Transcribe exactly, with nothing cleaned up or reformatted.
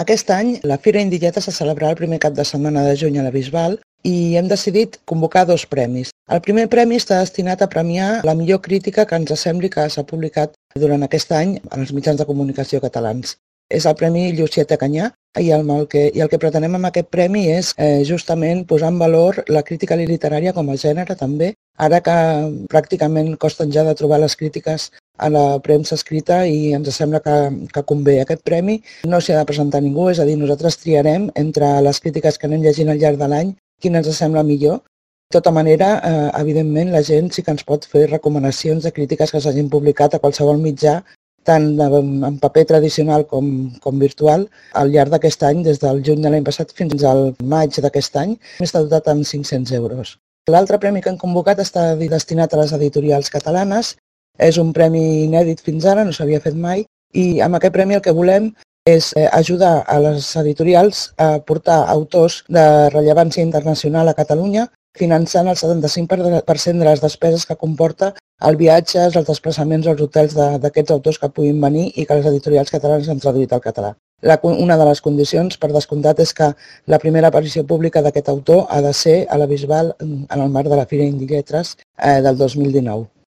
Aquest any la Fira Indilleta se celebrarà el primer cap de setmana de juny a la Bisbal i hem decidit convocar dos premis. El primer premi està destinat a premiar la millor crítica que ens sembli que s'ha publicat durant aquest any en els mitjans de comunicació catalans. És el Premi Llucieta Canyà i el, que, i el que pretenem amb aquest premi és eh, justament posar en valor la crítica literària com a gènere també, ara que pràcticament costen ja de trobar les crítiques a la premsa escrita i ens sembla que, que convé. Aquest premi no s'hi ha de presentar ningú, és a dir, nosaltres triarem entre les crítiques que anem llegint al llarg de l'any quina ens sembla millor. De tota manera, eh, evidentment, la gent sí que ens pot fer recomanacions de crítiques que s'hagin publicat a qualsevol mitjà, tant en paper tradicional com, com virtual, al llarg d'aquest any, des del juny de l'any passat fins al maig d'aquest any, està dotat amb cinc-cents euros. L'altre premi que han convocat està destinat a les editorials catalanes. És un premi inèdit fins ara, no s'havia fet mai, i amb aquest premi el que volem és ajudar a les editorials a portar autors de rellevància internacional a Catalunya, finançant el setanta-cinc per cent de les despeses que comporta el viatge, els desplaçaments als hotels d'aquests autors que puguin venir i que les editorials catalanes han traduït al català. La, una de les condicions, per descomptat, és que la primera aparició pública d'aquest autor ha de ser a la Bisbal en el marc de la Fira Indilletres eh, del dos mil dinou.